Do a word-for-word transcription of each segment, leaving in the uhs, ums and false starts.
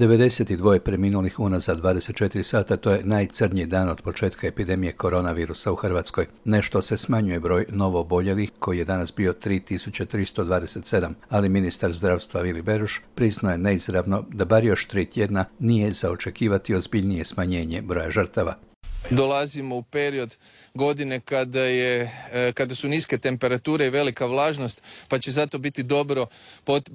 devedeset dva preminulih unazad dvadeset četiri sata, to je najcrnji dan od početka epidemije koronavirusa u Hrvatskoj. Nešto se smanjuje broj novooboljelih, koji je danas bio tri tisuće tristo dvadeset sedam, ali ministar zdravstva Vili Beroš priznao je neizravno da bar još tri tjedna nije za očekivati ozbiljnije smanjenje broja žrtava. Dolazimo u period godine kada, je, kada su niske temperature i velika vlažnost, pa će zato biti dobro,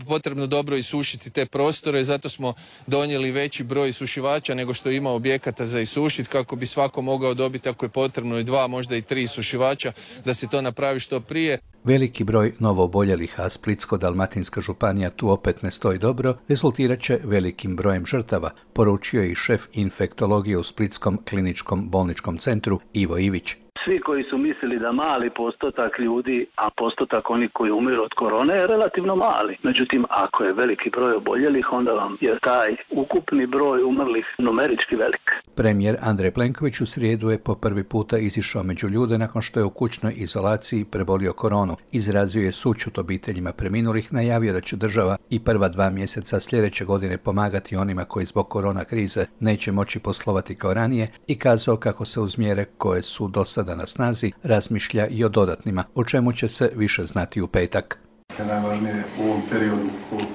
potrebno dobro isušiti te prostore. Zato smo donijeli veći broj isušivača nego što ima objekata za isušiti, kako bi svako mogao dobiti, ako je potrebno, i dva, možda i tri isušivača, da se to napravi što prije. Veliki broj novooboljelih, a Splitsko-dalmatinska županija tu opet ne stoji dobro, rezultirat će velikim brojem žrtava, poručio je i šef infektologije u Splitskom kliničkom bolničkom centru Ivo Ivić. Svi koji su mislili da mali postotak ljudi, a postotak onih koji umiru od korone je relativno mali. Međutim, ako je veliki broj oboljelih, onda vam je taj ukupni broj umrlih numerički velik. Premijer Andrej Plenković u srijedu je po prvi puta izišao među ljude nakon što je u kućnoj izolaciji prebolio koronu. Izrazio je sućut obiteljima preminulih, najavio da će država i prva dva mjeseca sljedeće godine pomagati onima koji zbog korona krize neće moći poslovati kao ranije i kazao kako se uz mjere koje su do sada na snazi razmišlja i o dodatnima, o čemu će se više znati u petak. Najvažnije u ovom periodu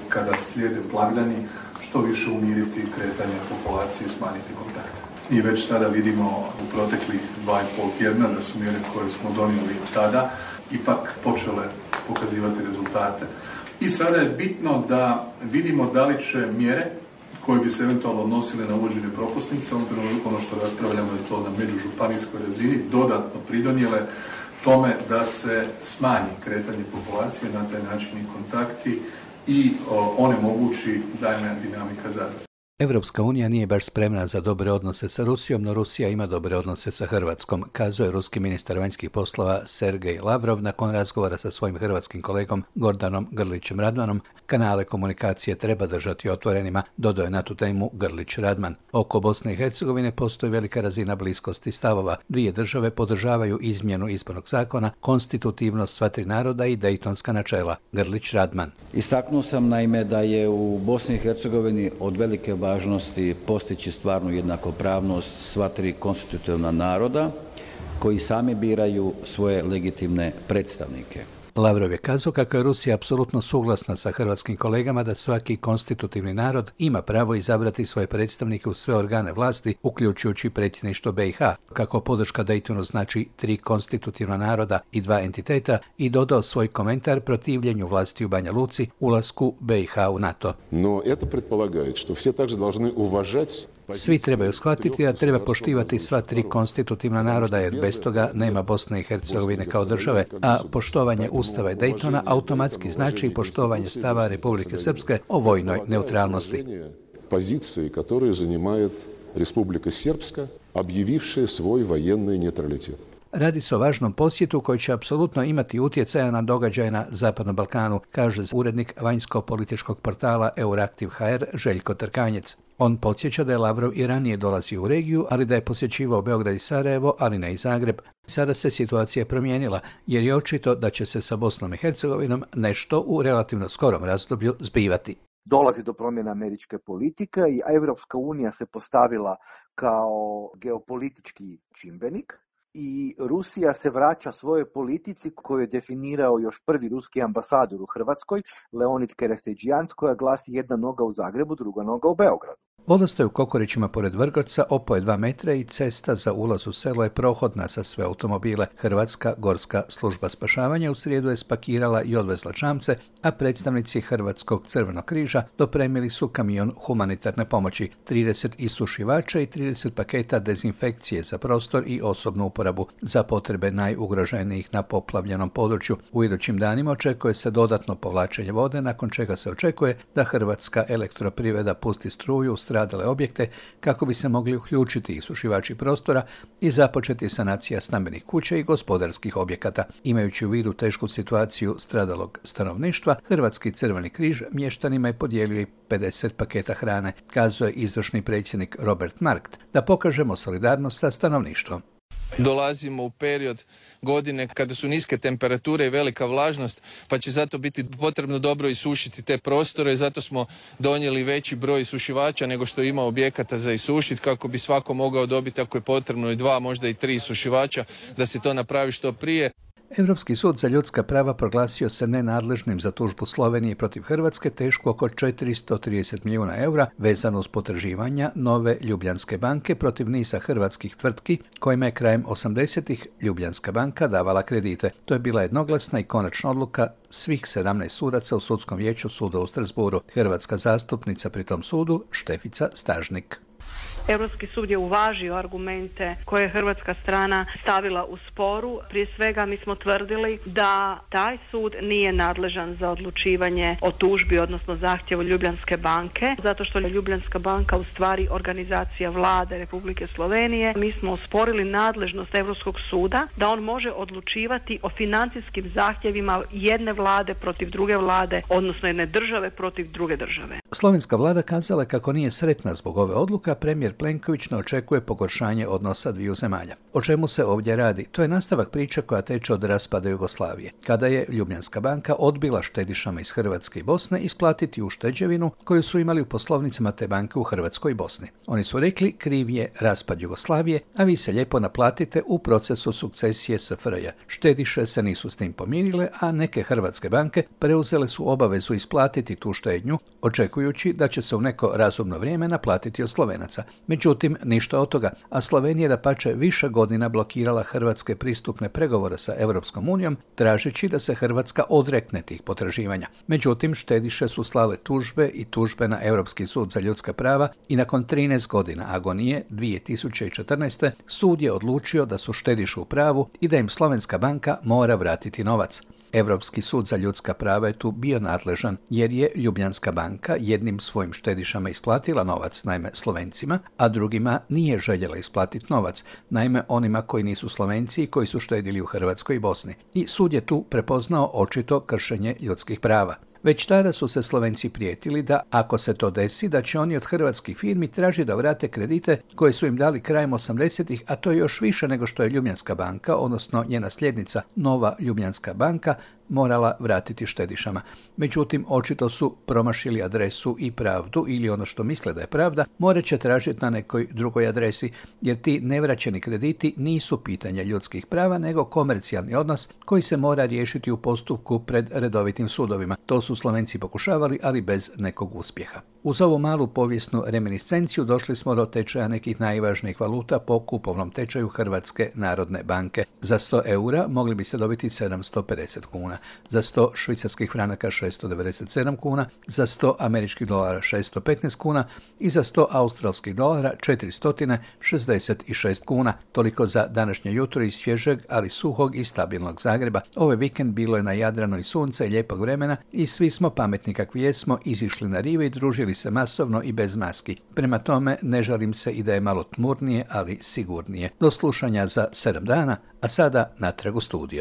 kada slijede blagdani što više umiriti kretanje populacije i smanjiti kontakte. I već sada vidimo u proteklih dva i pol tjedna da su mjere koje smo donijeli tada ipak počele pokazivati rezultate. I sada je bitno da vidimo da li će mjere koje bi se eventualno odnosile na uvođenje propusnica, ono što raspravljamo je to na međužupanijskoj razini, dodatno pridonijele tome da se smanji kretanje populacije, na taj način i kontakti i onemogući daljnja dinamika zaraze. Evropska unija nije baš spremna za dobre odnose sa Rusijom, no Rusija ima dobre odnose sa Hrvatskom, kazao je ruski ministar vanjskih poslova Sergej Lavrov nakon razgovora sa svojim hrvatskim kolegom Gordanom Grlićem Radmanom. Kanale komunikacije treba držati otvorenima, dodao je na tu temu Grlić Radman. Oko Bosne i Hercegovine postoji velika razina bliskosti stavova. Dvije države podržavaju izmjenu izbornog zakona, konstitutivnost sva tri naroda i dejtonska načela. Grlić Radman. Istaknuo sam naime da je u Bosni i Hercegovini od velike važnosti postići stvarnu jednakopravnost sva tri konstitutivna naroda koji sami biraju svoje legitimne predstavnike. Lavrov je kazao kako je Rusija apsolutno suglasna sa hrvatskim kolegama da svaki konstitutivni narod ima pravo izabrati svoje predstavnike u sve organe vlasti, uključujući predsjedništvo B i H, kako podrška Daytonu znači tri konstitutivna naroda i dva entiteta, i dodao svoj komentar protivljenju vlasti u Banja Luci, ulasku B i H u NATO. No, это предполагает, что все также должны уважать. Svi trebaju shvatiti da treba poštivati sva tri konstitutivna naroda, jer bez toga nema Bosne i Hercegovine kao države, a poštovanje Ustava i Daytona automatski znači i poštovanje stava Republike Srpske o vojnoj neutralnosti. Pozicije koje zauzima Republika Srpska, objavivša svoj vojenni neutralitet. Radi se o važnom posjetu koji će apsolutno imati utjecaja na događaje na Zapadnom Balkanu, kaže urednik vanjsko-političkog portala Euraktiv punkt h r Željko Trkanjec. On podsjeća da je Lavrov i ranije dolazio u regiju, ali da je posjećivao Beograd i Sarajevo, ali ne i Zagreb. Sada se situacija promijenila, jer je očito da će se sa Bosnom i Hercegovinom nešto u relativno skorom razdoblju zbivati. Dolazi do promjene američke politike i Evropska unija se postavila kao geopolitički čimbenik i Rusija se vraća svojoj politici koju je definirao još prvi ruski ambasador u Hrvatskoj, Leonid Kereskedžijan, koja glasi jedna noga u Zagrebu, druga noga u Beogradu. Vodostaj u Kokorićima pored Vrgorca opao je dva metra i cesta za ulaz u selo je prohodna za sve automobile. Hrvatska gorska služba spašavanja u srijedu je spakirala i odvezla čamce, a predstavnici Hrvatskog crvenog križa dopremili su kamion humanitarne pomoći, trideset isušivača i trideset paketa dezinfekcije za prostor i osobnu uporabu za potrebe najugroženijih na poplavljenom području. U idućim danima očekuje se dodatno povlačenje vode, nakon čega se očekuje da Hrvatska elektroprivreda pusti struju u stradale objekte kako bi se mogli uključiti isušivači prostora i započeti sanacija stambenih kuća i gospodarskih objekata. Imajući u vidu tešku situaciju stradalog stanovništva, Hrvatski crveni križ mještanima je podijelio i pedeset paketa hrane, kazao je izvršni predsjednik Robert Markt, da pokažemo solidarnost sa stanovništvom. Dolazimo u period godine kada su niske temperature i velika vlažnost, pa će zato biti potrebno dobro isušiti te prostore i zato smo donijeli veći broj isušivača nego što ima objekata za isušiti kako bi svako mogao dobiti ako je potrebno i dva, možda i tri isušivača da se to napravi što prije. Europski sud za ljudska prava proglasio se nenadležnim za tužbu Slovenije protiv Hrvatske tešku oko četiristo trideset milijuna eura vezano uz potraživanja Nove Ljubljanske banke protiv niza hrvatskih tvrtki kojima je krajem osamdesetih Ljubljanska banka davala kredite. To je bila jednoglasna i konačna odluka svih sedamnaest sudaca u sudskom vijeću suda u Strasbourgu. Hrvatska zastupnica pri tom sudu Štefica Stažnik. Europski sud je uvažio argumente koje je hrvatska strana stavila u sporu. Prije svega mi smo tvrdili da taj sud nije nadležan za odlučivanje o tužbi, odnosno zahtjevu Ljubljanske banke, zato što je Ljubljanska banka u stvari organizacija vlade Republike Slovenije. Mi smo osporili nadležnost Europskog suda da on može odlučivati o financijskim zahtjevima jedne vlade protiv druge vlade, odnosno jedne države protiv druge države. Slovenska vlada kazala kako nije sretna zbog ove odluke, premijer Plenković ne očekuje pogoršanje odnosa dviju zemalja. O čemu se ovdje radi? To je nastavak priče koja teče od raspada Jugoslavije, kada je Ljubljanska banka odbila štedišama iz Hrvatske i Bosne isplatiti ušteđevinu koju su imali u poslovnicama te banke u Hrvatskoj i Bosni. Oni su rekli kriv je raspad Jugoslavije, a vi se lijepo naplatite u procesu sukcesije S F R J. Štediše se nisu s tim pomirile, a neke hrvatske banke preuzele su obavezu isplatiti tu štednju, očekujući da će se u neko razumno vrijeme naplatiti od Slovenaca. Međutim, ništa od toga, a Slovenija dapače više godina blokirala hrvatske pristupne pregovore sa Europskom unijom, tražeći da se Hrvatska odrekne tih potraživanja. Međutim, štediše su slale tužbe i tužbe na Europski sud za ljudska prava i nakon trinaest godina agonije dvije tisuće četrnaeste. sud je odlučio da su štediše u pravu i da im Slovenska banka mora vratiti novac. Europski sud za ljudska prava je tu bio nadležan jer je Ljubljanska banka jednim svojim štedišama isplatila novac, naime Slovencima, a drugima nije željela isplatiti novac, naime onima koji nisu Slovenci i koji su štedili u Hrvatskoj i Bosni. I sud je tu prepoznao očito kršenje ljudskih prava. Već tada su se Slovenci prijetili da, ako se to desi, da će oni od hrvatskih firmi tražiti da vrate kredite koje su im dali krajem osamdesetih, a to je još više nego što je Ljubljanska banka, odnosno njena sljednica Nova Ljubljanska banka, morala vratiti štedišama. Međutim, očito su promašili adresu i pravdu, ili ono što misle da je pravda, morat će tražiti na nekoj drugoj adresi, jer ti nevraćeni krediti nisu pitanje ljudskih prava, nego komercijalni odnos koji se mora riješiti u postupku pred redovitim sudovima. To su Slovenci pokušavali, ali bez nekog uspjeha. Uz ovu malu povijesnu reminiscenciju došli smo do tečaja nekih najvažnijih valuta po kupovnom tečaju Hrvatske narodne banke. Za sto eura mogli bi se dobiti sedamsto pedeset kuna, za sto švicarskih franaka šesto devedeset sedam kuna, za sto američkih dolara šesto petnaest kuna i za sto australskih dolara četiristo šezdeset šest kuna. Toliko za današnje jutro iz svježeg, ali suhog i stabilnog Zagreba. Ovaj vikend bilo je na Jadranu i sunca i lijepog vremena i svi smo pametni kakvi jesmo izišli na rive i družili se masovno i bez maski. Prema tome ne žalim se i da je malo tmurnije, ali sigurnije. Do slušanja za sedam dana, a sada natrag u studio.